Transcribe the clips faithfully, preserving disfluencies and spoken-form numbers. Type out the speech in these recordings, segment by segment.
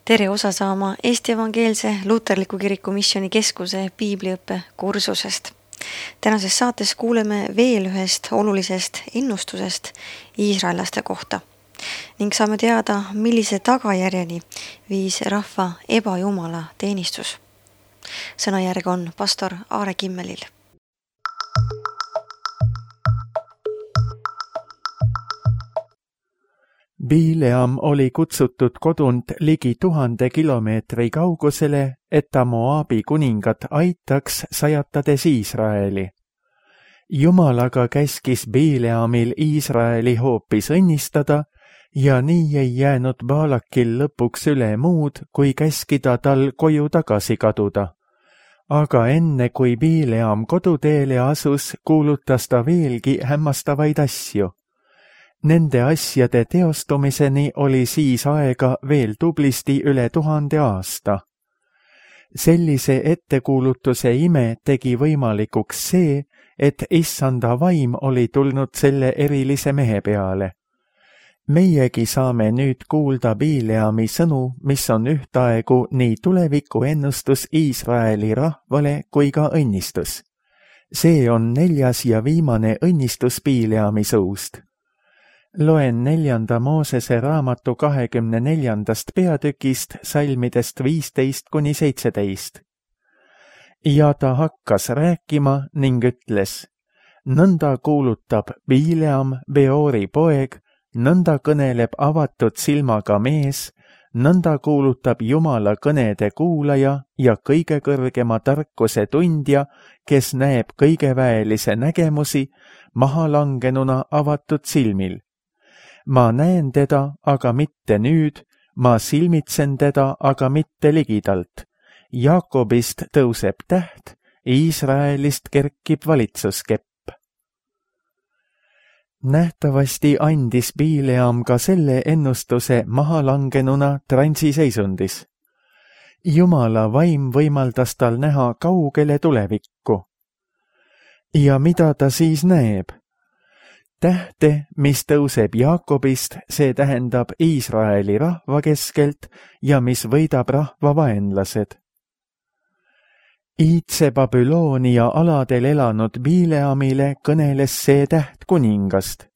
tere osa saama Eesti Evangeelse Luterliku Kiriku Missiooni Keskuse piibliõppe kursusest. Tänases saates kuuleme veel ühest olulisest ennustusest iisraellaste kohta ning saame teada, millise tagajärjeni viis rahva ebajumala teenistus. Sõnajärg on pastor Aare Kimmelil. Bileam oli kutsutud kodunt ligi tuhande kilomeetri kaugusele, et ta Moabi kuningat aitaks, sajatades Iisraeli. Jumal aga käskis Bileamil Iisraeli hoopis õnnistada ja nii ei jäänud Baalakil lõpuks üle muud, kui käskida tal koju tagasi kaduda. Aga enne kui Bileam koduteele asus, kuulutas ta veelgi hämmastavaid asju. Nende asjade teostumiseni oli siis aega veel tublisti üle tuhande aasta. Sellise ettekuulutuse ime tegi võimalikuks see, et issanda vaim oli tulnud selle erilise mehe peale. Meiegi saame nüüd kuulda Bileami sõnu, mis on ühtaegu nii tuleviku ennustus Iisraeli rahvale kui ka õnnistus. See on neljas ja viimane õnnistus Bileami suust. Loen neljanda Moosese raamatu kahekümne neljandast peatükist salmidest viisteist kuni seitseteist. Ja ta hakkas rääkima ning ütles, nõnda kuulutab Bileam, Beori poeg, nõnda kõneleb avatud silmaga mees, nõnda kuulutab Jumala kõnede kuulaja ja kõige kõrgema tarkuse tundja, kes näeb kõigeväelise nägemusi mahalangenuna avatud silmil. Ma näen teda, aga mitte nüüd, ma silmitsen teda, aga mitte ligidalt. Jaakobist tõuseb täht, Iisraelist kerkib valitsuskepp. Nähtavasti andis Bileam ka selle ennustuse mahalangenuna transiseisundis. Jumala vaim võimaldas tal näha kaugele tulevikku. Ja mida ta siis näeb? Tähte, mis tõuseb Jaakobist, see tähendab Iisraeli rahva keskelt ja mis võidab rahva vaenlased. Iidse Babyloonia aladel elanud Bileamile kõneles see täht kuningast.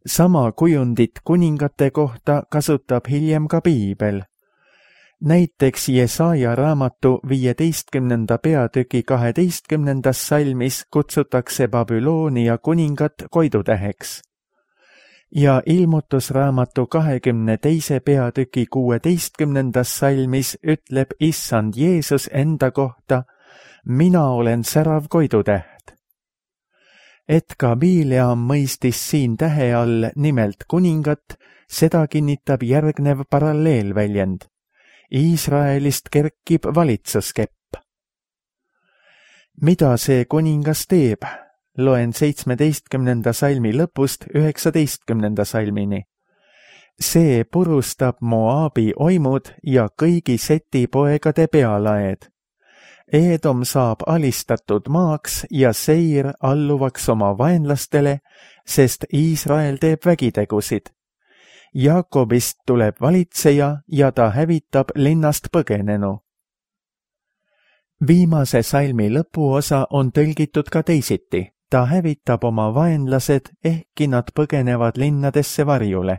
Sama kujundit kuningate kohta kasutab hiljem ka piibel. Näiteks Jesaja raamatu viieteistkümnenda peatüki kaheteistkümnendas salmis kutsutakse Babyloonia kuningat koidutäheks. Ja ilmutusraamatu kahekümne teise peatüki kuueteistkümnendas salmis ütleb issand Jeesus enda kohta, mina olen särav koidutäht. Et ka Bileam mõistis siin tähe all nimelt kuningat, seda kinnitab järgnev paralleelväljend. Iisraelist kerkib valitsuskepp. Mida see kuningas teeb? Loen seitsmeteistkümnenda salmi lõpust üheksateistkümnenda salmini. See purustab Moabi oimud ja kõigi Seti poegade pealaed. Eedom saab alistatud maaks ja Seir alluvaks oma vaenlastele, sest Iisrael teeb vägitegusid. Jaakobist tuleb valitseja ja ta hävitab linnast põgenenu. Viimase salmi lõpuosa on tõlgitud ka teisiti. Ta hävitab oma vaenlased, ehkki nad põgenevad linnadesse varjule.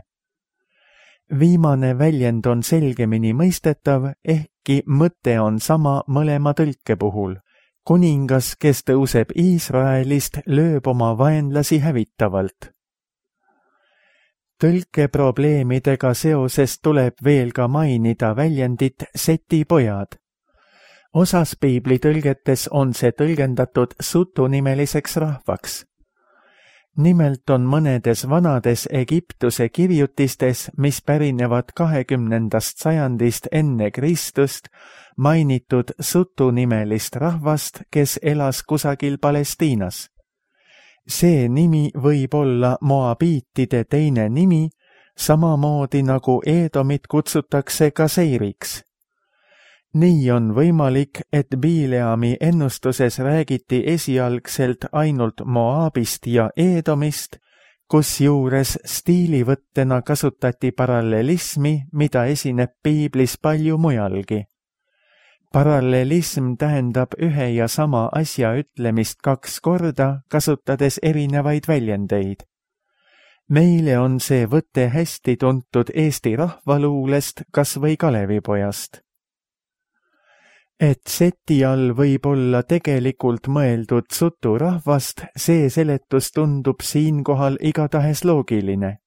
Viimane väljend on selgemini mõistetav, ehkki mõte on sama mõlema tõlke puhul. Kuningas, kes tõuseb Iisraelist, lööb oma vaenlasi hävitavalt. Tõlkeprobleemidega seoses tuleb veel ka mainida väljendit Seti pojad. Osas piiblitõlgetes on see tõlgendatud sutunimeliseks rahvaks. Nimelt on mõnedes vanades Egiptuse kirjutistes, mis pärinevad kahekümnendast sajandist enne Kristust, mainitud sutunimelist rahvast, kes elas kusagil Palestiinas. See nimi võib olla moabiitide teine nimi, samamoodi nagu Eedomit kutsutakse ka Seiriks. Nii on võimalik, et Bileami ennustuses räägiti esialgselt ainult Moabist ja Eedomist, kusjuures stiilivõttena kasutati parallelismi, mida esineb piiblis palju mujalgi. Parallelism tähendab ühe ja sama asja ütlemist kaks korda, kasutades erinevaid väljendeid. Meile on see võte hästi tuntud Eesti rahvaluulest, kas või Kalevipojast. Et seti all võib olla tegelikult mõeldud suturahvast, see seletus tundub siinkohal igatahes loogiline.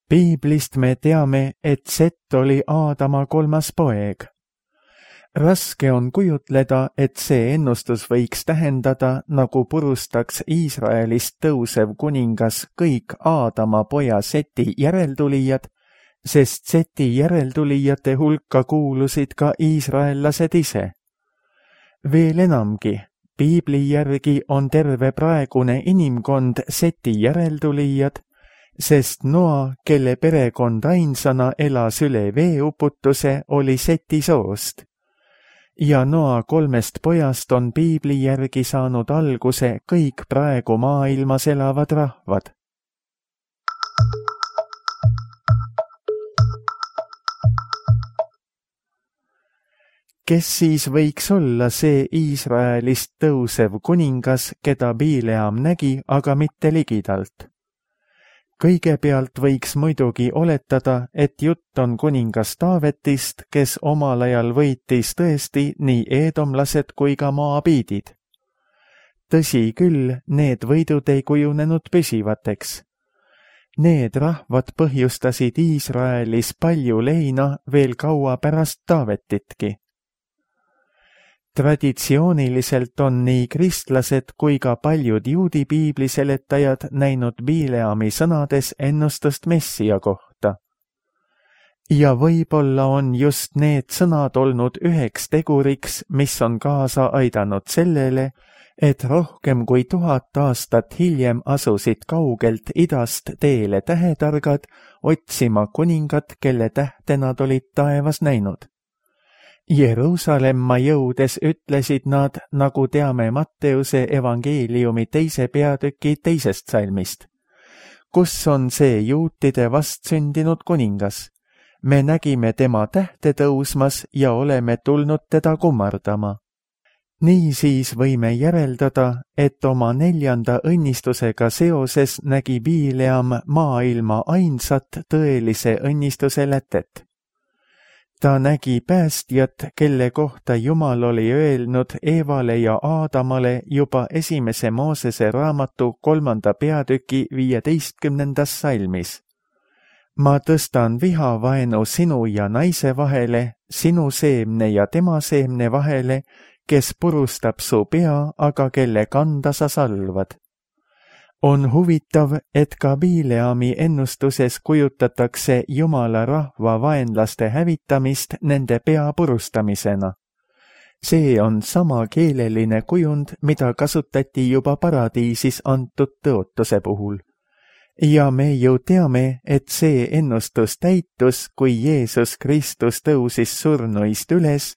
Piiblist me teame, et Set oli Aadama kolmas poeg. Raske on kujutleda, et see ennustus võiks tähendada, nagu purustaks Iisraelist tõusev kuningas kõik Aadama poja Seti järeltulijad, sest Seti järeltulijate hulka kuulusid ka iisraellased ise. Veel enamgi, piibli järgi on terve praegune inimkond Seti järeltulijad, sest Noa, kelle perekond ainsana elas üle veeuputuse, oli Seti soost. Ja Noa kolmest pojast on piibli järgi saanud alguse kõik praegu maailmas elavad rahvad. Kes siis võiks olla see Iisraelist tõusev kuningas, keda Bileam nägi, aga mitte ligidalt? Kõigepealt võiks muidugi oletada, et jutt on kuningas Taavetist, kes omal ajal võitis tõesti nii eedomlased kui ka moabiidid. Tõsi küll, need võidud ei kujunenud püsivateks. Need rahvad põhjustasid Iisraelis palju leina veel kaua pärast Taavetitki. Traditsiooniliselt on nii kristlased kui ka paljud juudi piibliseletajad näinud Bileami sõnades ennustust Messia kohta. Ja võib-olla on just need sõnad olnud üheks teguriks, mis on kaasa aidanud sellele, et rohkem kui tuhat aastat hiljem asusid kaugelt idast teele tähetargad otsima kuningat, kelle tähte nad olid taevas näinud. Jeruusalemma jõudes ütlesid nad, nagu teame Matteuse evangeeliumi teise peatüki teisest salmist. Kus on see juutide vastsündinud kuningas? Me nägime tema tähte tõusmas ja oleme tulnud teda kummardama. Niisiis võime järeldada, et oma neljanda õnnistusega seoses nägi Bileam maailma ainsat tõelise õnnistuse lätet. Ta nägi päästjat, kelle kohta Jumal oli öelnud Eevale ja Aadamale juba esimese Moosese raamatu kolmanda peatüki viieteistkümnendas salmis. Ma tõstan vihavaenu sinu ja naise vahele, sinu seemne ja tema seemne vahele, kes purustab su pea, aga kelle kanda sa salvad. On huvitav, et ka Bileami ennustuses kujutatakse Jumala rahva vaenlaste hävitamist nende pea purustamisena. See on sama keeleline kujund, mida kasutati juba paradiisis antud tõotuse puhul. Ja me ju teame, et see ennustus täitus, kui Jeesus Kristus tõusis surnuist üles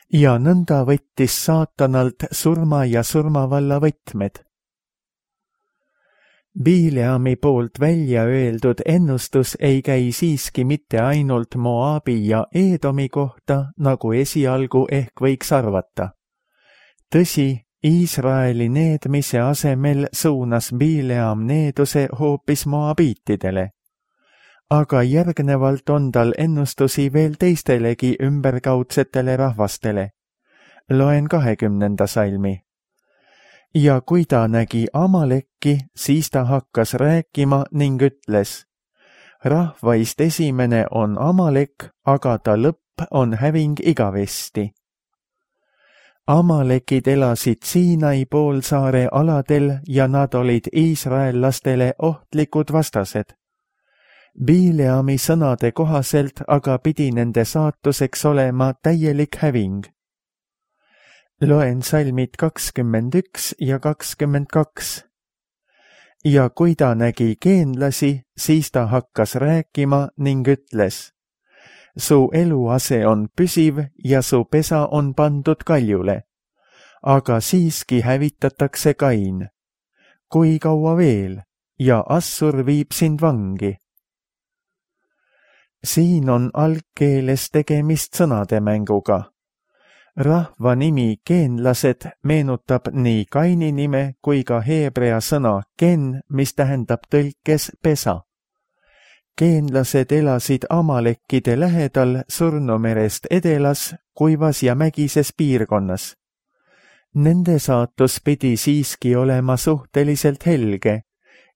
ja nõnda võttis saatanalt surma ja surmavalla võtmed. Bileami poolt välja öeldud ennustus ei käi siiski mitte ainult Moabi ja Eedomi kohta, nagu esialgu ehk võiks arvata. Tõsi, Iisraeli needmise asemel suunas Bileam needuse hoopis moabiitidele. Aga järgnevalt on tal ennustusi veel teistelegi ümberkaudsetele rahvastele. Loen kahekümnenda salmi. Ja kui ta nägi Amalekki, siis ta hakkas rääkima ning ütles, rahvaist esimene on Amalek, aga ta lõpp on häving igavesti. Amalekid elasid Siinai poolsaare aladel ja nad olid iisraellastele ohtlikud vastased. Bileami sõnade kohaselt aga pidi nende saatuseks olema täielik häving. Loen salmid kakskümmend üks ja kakskümmend kaks. Ja kui ta nägi geenlasi, siis ta hakkas rääkima ning ütles, su eluase on püsiv ja su pesa on pandud kaljule, aga siiski hävitatakse Kain. Kui kaua veel? ja Assur viib sind vangi. Siin on algkeeles tegemist sõnademänguga. Rahva nimi geenlased meenutab nii Kaini nime kui ka heebrea sõna gen, mis tähendab tõlkes pesa. Geenlased elasid Amalekkide lähedal Surnumerest edelas, kuivas ja mägises piirkonnas. Nende saatus pidi siiski olema suhteliselt helge.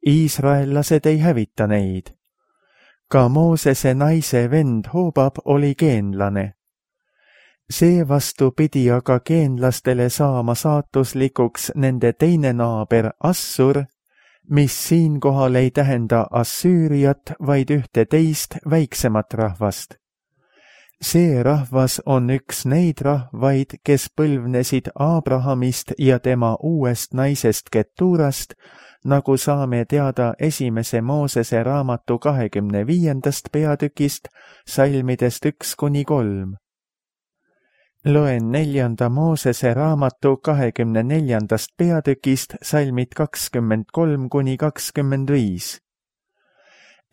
Iisraellased ei hävita neid. Ka Moosese naise vend Hobab oli geenlane. Seevastu pidi aga geenlastele saama saatuslikuks nende teine naaber Assur, mis siinkohal ei tähenda Assüüriat, vaid ühte teist väiksemat rahvast. See rahvas on üks neid rahvaid, kes põlvnesid Abrahamist ja tema uuest naisest Keturast, nagu saame teada esimese Moosese raamatu kahekümne viiendast peatükist, salmidest üks kuni kolm. Loen neljanda Moosese raamatu kahekümne neljandast peatükist, salmid kakskümmend kolm kuni kakskümmend viis.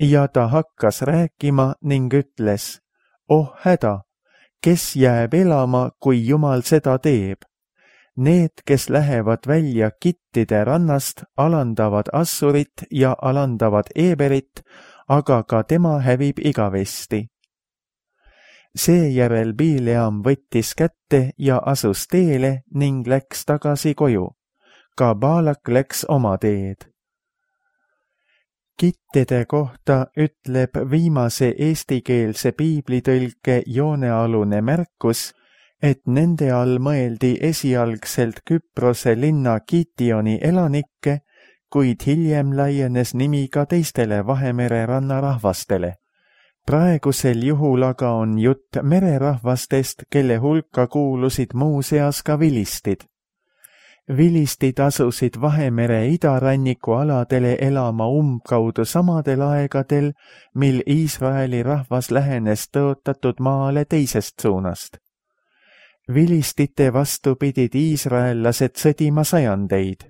Ja ta hakkas rääkima ning ütles, oh häda, kes jääb elama, kui Jumal seda teeb? Need, kes lähevad välja Kittide rannast, alandavad Assurit ja alandavad Eberit, aga ka tema hävib igavesti. Seejärel Bileam võttis kätte ja asus teele ning läks tagasi koju. Ka Baalak läks oma teed. Kittide kohta ütleb viimase eestikeelse piiblitõlke joonealune märkus, et nende all mõeldi esialgselt Küprose linna Kitioni elanikke, kuid hiljem laienes nimi ka teistele Vahemere rannarahvastele. Praegusel juhul aga on jutt mererahvastest, kelle hulka kuulusid muuseas ka vilistid. Vilistid asusid Vahemere idaranniku aladele elama umbkaudu samadel aegadel, mil Iisraeli rahvas lähenes tõotatud maale teisest suunast. Vilistite vastu pidid iisraellased sõdima sajandeid.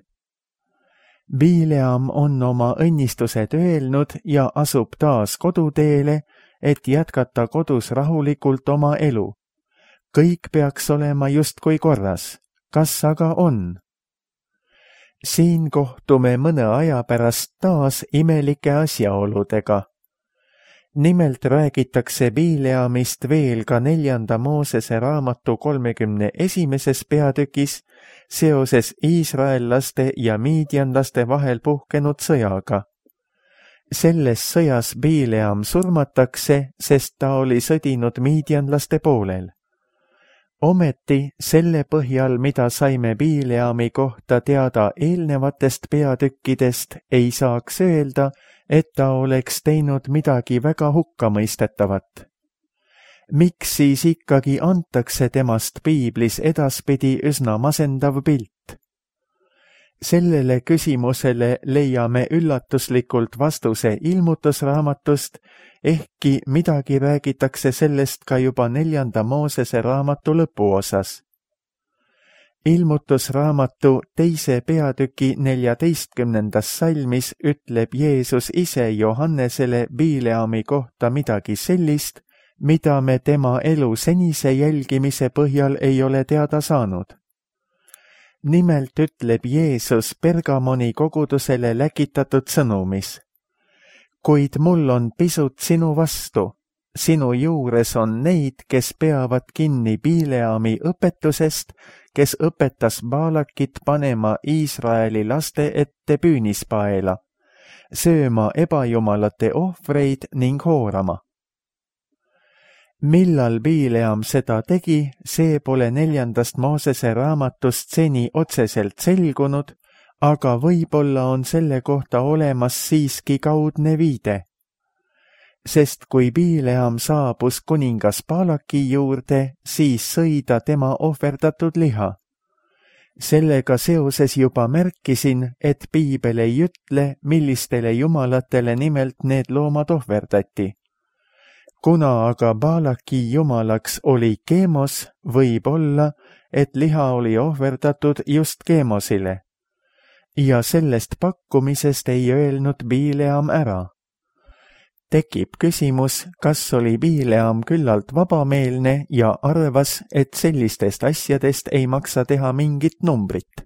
Bileam on oma õnnistused öelnud ja asub taas koduteele, et jätkata kodus rahulikult oma elu. Kõik peaks olema justkui korras. Kas aga on? Siin kohtume mõne aja pärast taas imelike asjaoludega. Nimelt räägitakse Bileamist veel ka neljanda Moosese raamatu kolmekümne esimeses peatükis seoses iisraellaste ja miidjanlaste vahel puhkenud sõjaga. Selles sõjas Bileam surmatakse, sest ta oli sõdinud miidjanlaste poolel. Ometi selle põhjal, mida saime Bileami kohta teada eelnevatest peatükkidest, ei saaks öelda, et ta oleks teinud midagi väga hukkamõistetavat. Miks siis ikkagi antakse temast piiblis edaspidi üsna masendav pilt? Sellele küsimusele leiame üllatuslikult vastuse ilmutusraamatust, ehkki midagi räägitakse sellest ka juba neljanda Moosese raamatu lõpuosas. Ilmutusraamatu teise peatüki neljateistkümnendas salmis ütleb Jeesus ise Johannesele Bileami kohta midagi sellist, mida me tema elu senise jälgimise põhjal ei ole teada saanud. Nimelt ütleb Jeesus Pergamoni kogudusele läkitatud sõnumis. Kuid mul on pisut sinu vastu. Sinu juures on neid, kes peavad kinni Bileami õpetusest, kes õpetas Baalakit panema Iisraeli laste ette püünispaela, sööma ebajumalate ohvreid ning hoorama. Millal Bileam seda tegi, see pole neljandast Moosese raamatust seni otseselt selgunud, aga võib-olla on selle kohta olemas siiski kaudne viide. Sest kui Bileam saabus kuningas Baalaki juurde, siis sõi ta tema ohverdatud liha. Sellega seoses juba märkisin, et piibel ei ütle, millistele jumalatele nimelt need loomad ohverdati. Kuna aga Baalaki jumalaks oli Keemos, võib olla, et liha oli ohverdatud just Keemosile. ja sellest pakkumisest ei öelnud Bileam ära. Tekib küsimus, kas oli Bileam küllalt vabameelne ja arvas, et sellistest asjadest ei maksa teha mingit numbrit.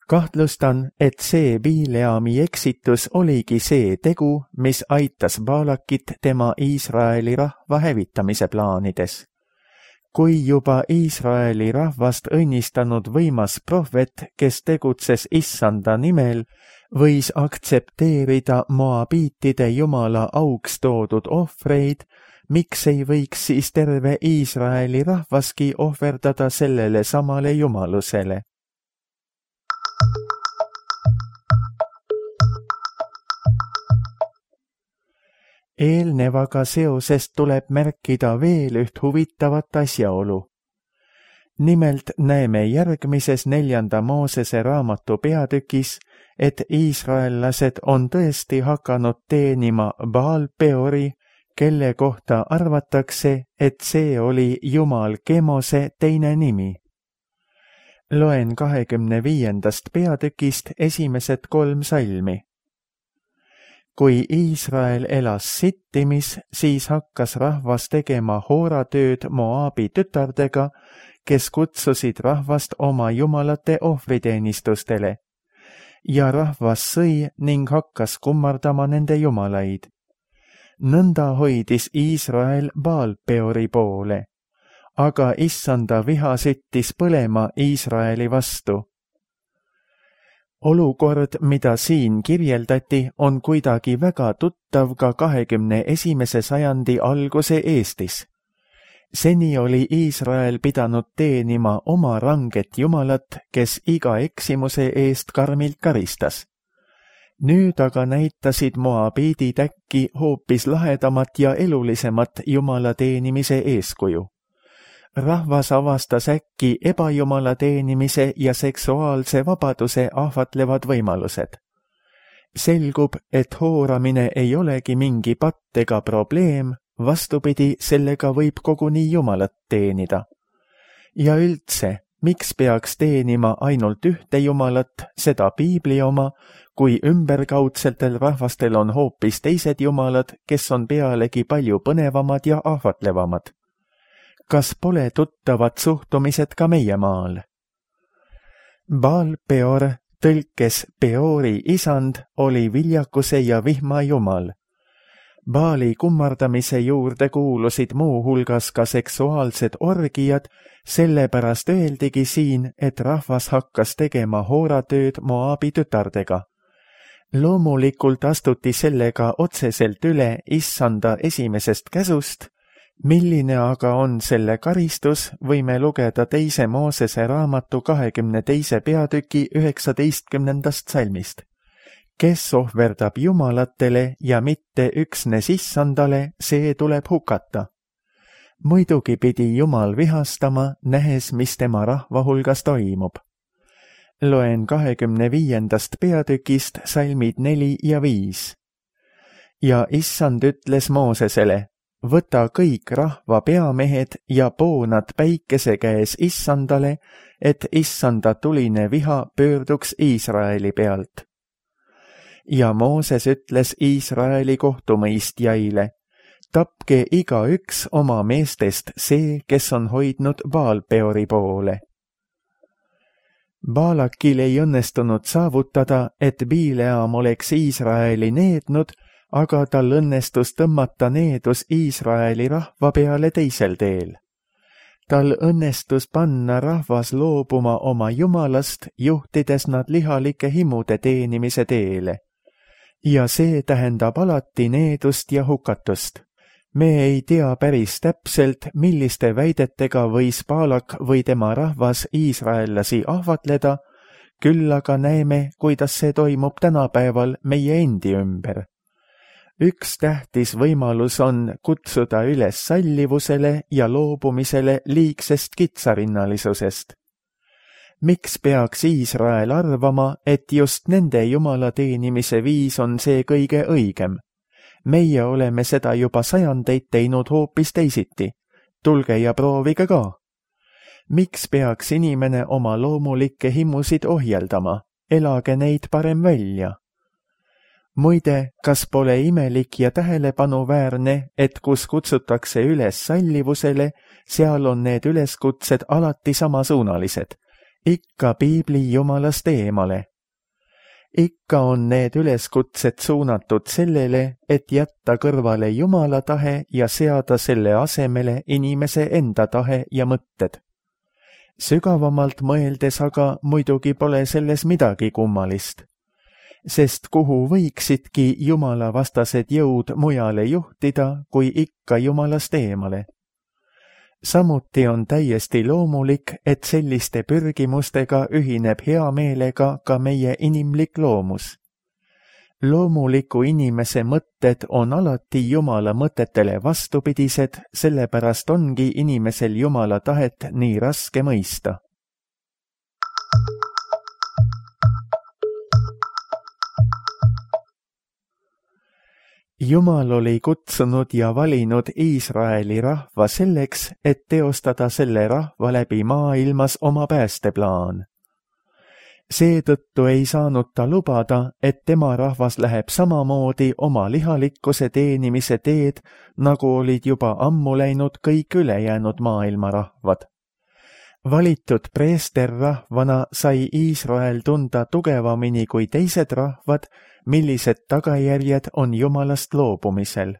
Kahtlustan, et see Bileami eksitus oligi see tegu, mis aitas Baalakit tema Iisraeli rahva hävitamise plaanides. Kui juba Iisraeli rahvast õnnistanud võimas prohvet, kes tegutses issanda nimel, võis aktsepteerida moabiitide jumala auks toodud ohvreid, miks ei võiks siis terve Iisraeli rahvaski ohverdada sellele samale jumalusele? Eelnevaga seoses tuleb märkida veel üht huvitavat asjaolu. Nimelt näeme järgmises neljanda Moosese raamatu peatükis, et iisraellased on tõesti hakanud teenima Baal Peori, kelle kohta arvatakse, et see oli Jumal Kemose teine nimi. Loen kahekümne viiendast peatükist esimesed kolm salmi. Kui Iisrael elas Sittimis, siis hakkas rahvas tegema hooratööd Moaabi tütardega, kes kutsusid rahvast oma jumalate ohvriteenistustele. Ja rahvas sõi ning hakkas kummardama nende jumalaid. Nõnda hoidis Iisrael Baal Peori poole, aga issanda viha süttis põlema Iisraeli vastu. Olukord, mida siin kirjeldati, on kuidagi väga tuttav ka kahekümne esimese sajandi alguse Eestis. Seni oli Iisrael pidanud teenima oma ranget jumalat, kes iga eksimuse eest karmilt karistas. Nüüd aga näitasid moabiidid äkki hoopis lahedamat ja elulisemat jumala teenimise eeskuju. Rahvas avastas äkki ebajumala teenimise ja seksuaalse vabaduse ahvatlevad võimalused. Selgub, et hooramine ei olegi mingi patt ega probleem, vastupidi, sellega võib koguni jumalat teenida. Ja üldse, miks peaks teenima ainult ühte jumalat, seda piibli oma, kui ümberkaudsetel rahvastel on hoopis teised jumalad, kes on pealegi palju põnevamad ja ahvatlevamad? Kas pole tuttavad suhtumised ka meie maal? Baal Peor, tõlkes Peori isand, oli viljakuse ja vihma jumal. Baali kummardamise juurde kuulusid muu hulgas ka seksuaalsed orgiad, sellepärast öeldigi siin, et rahvas hakkas tegema hooratööd Moaabi tütardega. Loomulikult astuti sellega otseselt üle issanda esimesest käsust, milline aga on selle karistus, võime lugeda teise Moosese raamatu kahekümne teise peatüki üheksateistkümnendast salmist. Kes ohverdab jumalatele ja mitte üksnes issandale, see tuleb hukata. Muidugi pidi Jumal vihastama, nähes, mis tema rahva hulgas toimub. Loen kahekümne viiendast peatükist salmid neli ja viis. Ja issand ütles Moosesele, võta kõik rahva peamehed ja poo nad päikese käes issandale, et issanda tuline viha pöörduks Iisraeli pealt. Ja Mooses ütles Iisraeli kohtumõistjaile, tapke igaüks oma meestest see, kes on hoidnud Baal Peori poole. Baalakil ei õnnestunud saavutada, et Bileam oleks Iisraeli neednud, aga tal õnnestus tõmmata needus Iisraeli rahva peale teisel teel. Tal õnnestus panna rahvas loobuma oma jumalast, juhtides nad lihalike himude teenimise teele. Ja see tähendab alati needust ja hukatust. Me ei tea päris täpselt, milliste väidetega võis Baalak või tema rahvas iisraellasi ahvatleda, küll aga näeme, kuidas see toimub tänapäeval meie endi ümber. Üks tähtis võimalus on kutsuda üles sallivusele ja loobumisele liigsest kitsarinnalisusest. Miks peaks Iisrael arvama, et just nende jumala teenimise viis on see kõige õigem? Meie oleme seda juba sajandeid teinud hoopis teisiti. Tulge ja proovige ka. Miks peaks inimene oma loomulikke himusid ohjeldama? elage neid parem välja. Muide, kas pole imelik ja tähelepanuväärne, et kus kutsutakse üles sallivusele, seal on need üleskutsed alati samasuunalised, ikka piibli jumalast eemale. Ikka on need üleskutsed suunatud sellele, et jätta kõrvale Jumala tahe ja seada selle asemele inimese enda tahe ja mõtted. Sügavamalt mõeldes aga muidugi pole selles midagi kummalist, sest kuhu võiksidki Jumala vastased jõud mujale juhtida, kui ikka Jumalast eemale. Samuti on täiesti loomulik, et selliste pürgimustega ühineb hea meelega ka meie inimlik loomus. Loomuliku inimese mõtted on alati Jumala mõtetele vastupidised, sellepärast ongi inimesel Jumala tahet nii raske mõista. Jumal oli kutsunud ja valinud Iisraeli rahva selleks, et teostada selle rahva läbi maailmas oma päästeplaan. Seetõttu ei saanud ta lubada, et tema rahvas läheb samamoodi oma lihalikkuse teenimise teed, nagu olid juba ammu läinud kõik ülejäänud maailma rahvad. Valitud preesterrahvana sai Iisrael tunda tugevamini kui teised rahvad, millised tagajärjed on Jumalast loobumisel.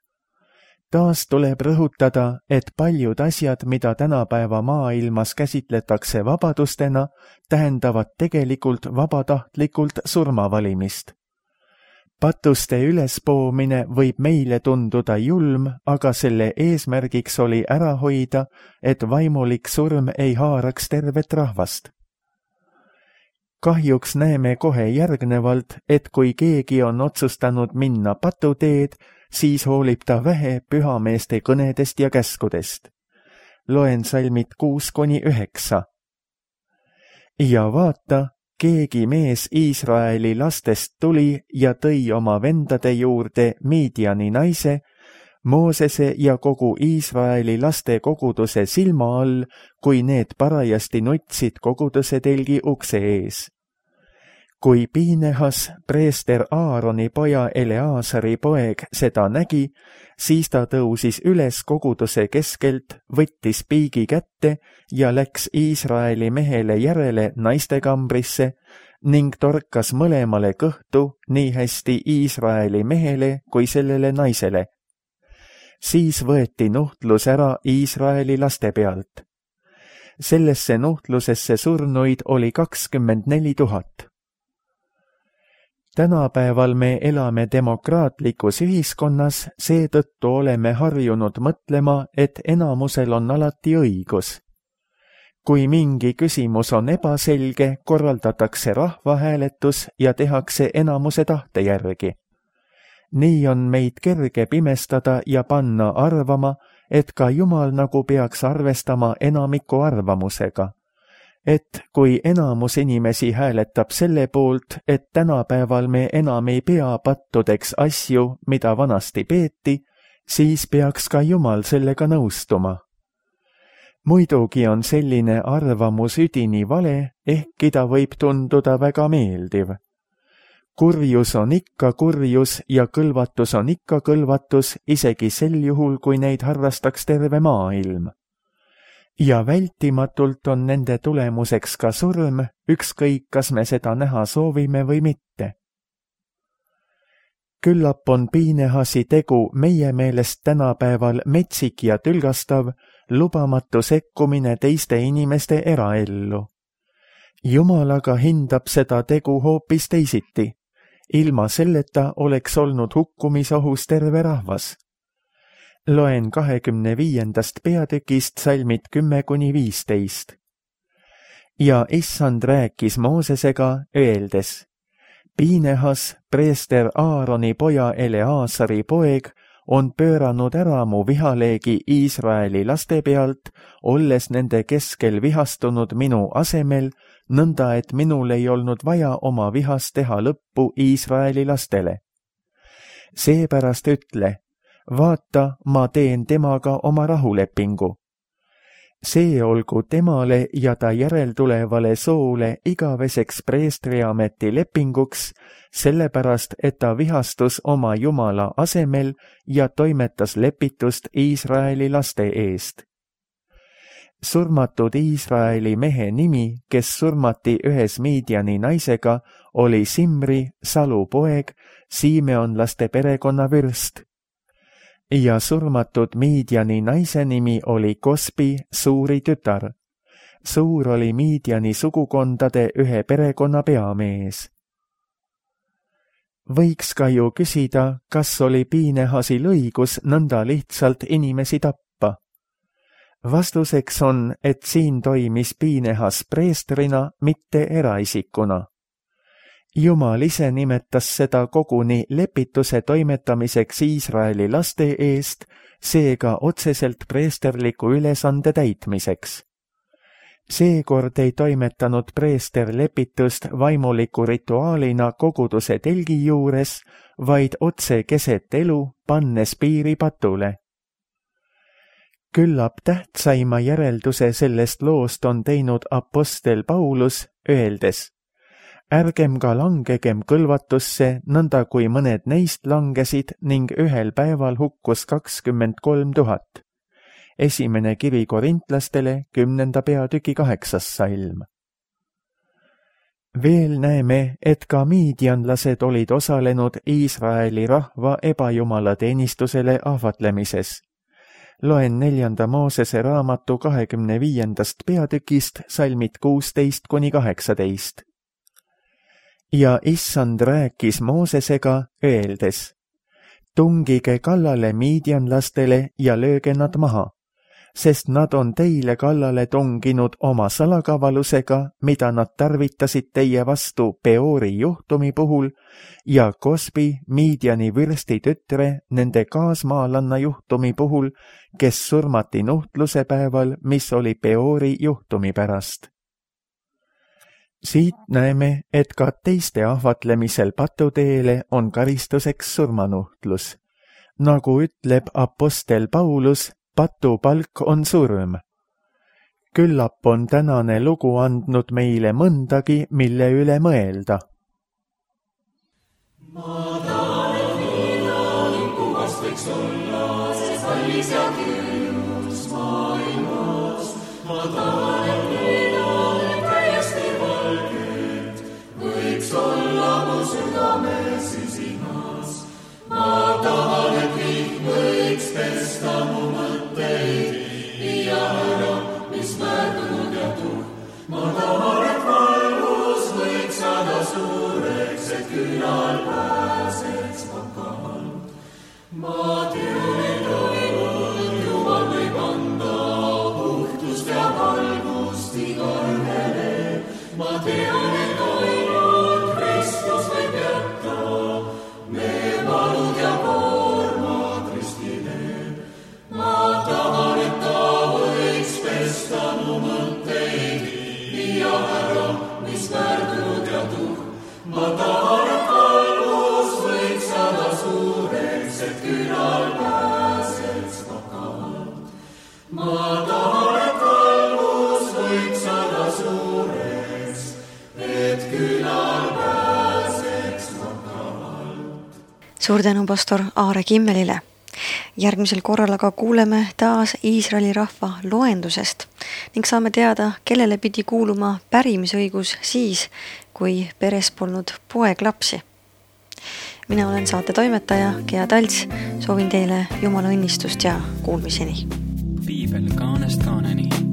Taas tuleb rõhutada, et paljud asjad, mida tänapäeva maailmas käsitletakse vabadustena, tähendavad tegelikult vabatahtlikult surmavalimist. Patuste ülespoomine võib meile tunduda julm, aga selle eesmärgiks oli ära hoida, et vaimulik surm ei haaraks tervet rahvast. Kahjuks näeme kohe järgnevalt, et kui keegi on otsustanud minna patuteed, siis hoolib ta vähe pühameeste kõnedest ja käskudest. Loen salmid kuus kuni üheksa. Ja vaata, keegi mees Iisraeli lastest tuli ja tõi oma vendade juurde Midiani naise, Moosese ja kogu Iisraeli laste koguduse silma all, kui need parajasti nutsid koguduse telgi ukse ees. Kui Piinehas, preester Aaroni poja Eleasari poeg, seda nägi, siis ta tõusis üles koguduse keskelt, võttis piigi kätte ja läks Iisraeli mehele järele naistekambrisse ning torkas mõlemale kõhtu nii hästi Iisraeli mehele kui sellele naisele. Siis võeti nuhtlus ära Iisraeli laste pealt. Sellesse nuhtlusesse surnuid oli kakskümmend neli tuhat. Tänapäeval me elame demokraatlikus ühiskonnas, seetõttu oleme harjunud mõtlema, et enamusel on alati õigus. Kui mingi küsimus on ebaselge, korraldatakse rahvahääletus ja tehakse enamuse tahte järgi. Nii on meid kerge pimestada ja panna arvama, et ka Jumal nagu peaks arvestama enamiku arvamusega. Et kui enamus inimesi hääletab selle poolt, et tänapäeval me enam ei pea pattudeks asju, mida vanasti peeti, siis peaks ka Jumal sellega nõustuma. Muidugi on selline arvamus üdini vale, ehkki ta võib tunduda väga meeldiv. Kurjus on ikka kurjus ja kõlvatus on ikka kõlvatus, isegi sel juhul, kui neid harrastaks terve maailm. Ja vältimatult on nende tulemuseks ka surm, ükskõik kas me seda näha soovime või mitte. Küllap on Piinehasi tegu meie meelest tänapäeval metsik ja tülgastav, lubamatu sekkumine teiste inimeste eraellu. Jumal aga hindab seda tegu hoopis teisiti. Ilma selleta oleks olnud hukkumisohus terve rahvas. Loen kahekümne viiendast peatükist salmid kümme kuni viisteist. Ja issand rääkis Moosesega, öeldes, Piinehas, preester Aaroni poja Eleasari poeg, on pööranud ära mu vihaleegi Iisraeli laste pealt, olles nende keskel vihastunud minu asemel, nõnda et minul ei olnud vaja oma vihast teha lõppu Iisraeli lastele. Seepärast ütle, vaata, ma teen temaga oma rahulepingu. see olgu temale ja ta järeltulevale soole igaveseks preestriameti lepinguks, sellepärast, et ta vihastus oma Jumala asemel ja toimetas lepitust Iisraeli laste eest. Surmatud Iisraeli mehe nimi, kes surmati ühes Midiani naisega, oli Simri, Salu poeg, Simeonlaste perekonna vürst. Ja surmatud Midiani naise nimi oli Kosbi, Suuri tütar. Suur oli Midiani sugukondade ühe perekonna peamees. Võiks ka ju küsida, kas oli Piinehasil õigus nõnda lihtsalt inimesi tappa. Vastuseks on, et siin toimis Piinehas preestrina, mitte eraisikuna. Jumal ise nimetas seda koguni lepituse toimetamiseks Iisraeli laste eest, seega otseselt preesterliku ülesande täitmiseks. Seekord ei toimetanud preester lepitust vaimuliku rituaalina koguduse telgi juures, vaid otse keset elu, pannes piiri patule. Küllap tähtsaima järelduse sellest loost on teinud apostel Paulus, öeldes: ärgem ka langegem kõlvatusse, nõnda kui mõned neist langesid ning ühel päeval hukkus kakskümmend kolm tuhat. Esimene kiri korintlastele, kümnenda peatüki kaheksas salm. Veel näeme, et ka miidianlased olid osalenud Iisraeli rahva ebajumala teenistusele ahvatlemises. Loen neljanda Moosese raamatu kahekümne viiendast peatükist salmid kuusteist kuni kaheksateist. Ja issand rääkis Moosesega, öeldes: tungige kallale miidianlastele ja lööge nad maha, sest nad on teile kallale tunginud oma salakavalusega, mida nad tarvitasid teie vastu Peori juhtumi puhul, ja Kosbi, Midiani vürsti tütre, nende kaasmaalanna juhtumi puhul, kes surmati nuhtluse päeval, mis oli Peori juhtumi pärast. Siit näeme, et ka teiste ahvatlemisel patuteele on karistuseks surmanuhtlus. Nagu ütleb apostel Paulus, patupalk on surm. Küllap on tänane lugu andnud meile mõndagi, mille üle mõelda. Ma tahan mina, kuhast võiks olla, see kallis ja küünus maailmas. Ma tahan, et mina täiesti valged võiks olla mu südame sisimas. Ma tahan, et kõik võiks pesta mu mõtteid, viia ära, mis väärtunud ja tuhk. Ma tahan, et valgus võiks saada suureks, et külal pääseks vakalt. Ma tean, et ainult Jumal võib anda puhtust ja valgust igaühele. Ma tean, et ainult Kristus võib jätta me valud ja koormad ristile. Ma tahan, et ta võiks pesta mu mõtteid, viia ära, mis väärtunud ja tuhk. Ma tahan, et valgus võiks saada suureks, et külal pääseks vakalt. Ma tahan, et valgus võiks saada suureks, et külal pääseks vakalt. Suur tänu pastor Aare Kimmelile. Järgmisel korral aga kuuleme taas Iisraeli rahva loendusest ning saame teada, kellele pidi kuuluma pärimisõigus siis, kui peres polnud poeglapsi. Mina olen saate toimetaja Gea Talts, soovin teile Jumala õnnistust ja kuulmiseni. Piibel kaanest kaaneni.